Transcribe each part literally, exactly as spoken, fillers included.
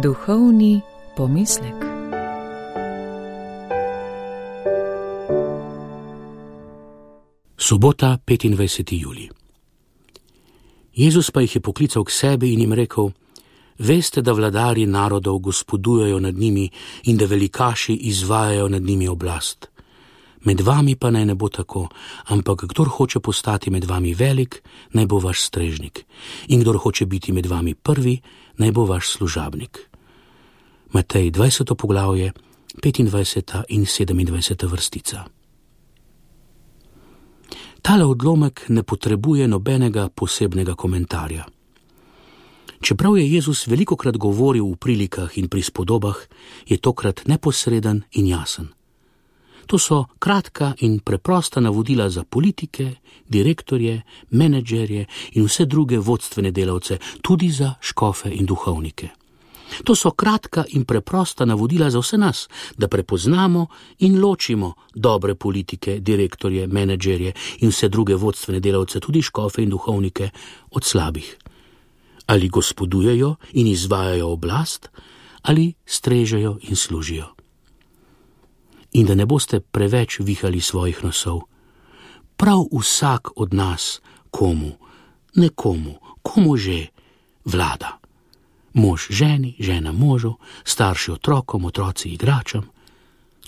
Duhovni pomislek. Sobota, petindvajseti julij. Jezus pa jih je poklical k sebi in jim rekel: Veste, da vladarji narodov gospodujejo nad njimi in da velikaši izvajajo nad njimi oblast. Med vami pa naj ne bo tako, ampak kdor hoče postati med vami velik, naj bo vaš strežnik, in kdor hoče biti med vami prvi, naj bo vaš služabnik. Matej dvajseto poglavje, petindvajseta in sedemindvajseta vrstica. Tale odlomek ne potrebuje nobenega posebnega komentarja. Čeprav je Jezus velikokrat govoril v prilikah in prispodobah, je tokrat neposreden in jasen. To so kratka in preprosta navodila za politike, direktorje, menedžerje in vse druge vodstvene delavce, tudi za škofe in duhovnike. To so kratka in preprosta navodila za vse nas, da prepoznamo in ločimo dobre politike, direktorje, menedžerje in vse druge vodstvene delavce, tudi škofe in duhovnike, od slabih. Ali gospodujejo in izvajajo oblast, ali strežejo in služijo. In da ne boste preveč vihali svojih nosov. Prav vsak od nas komu, nekomu, komu že vlada. Mož ženi, žena možu, starši otrokom, otroci igračam.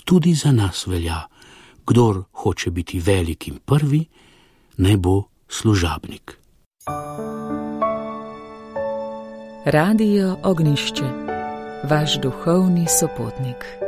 Tudi za nas velja, kdor hoče biti velik in prvi, naj bo služabnik. Radio Ognjišče, vaš duhovni sopotnik.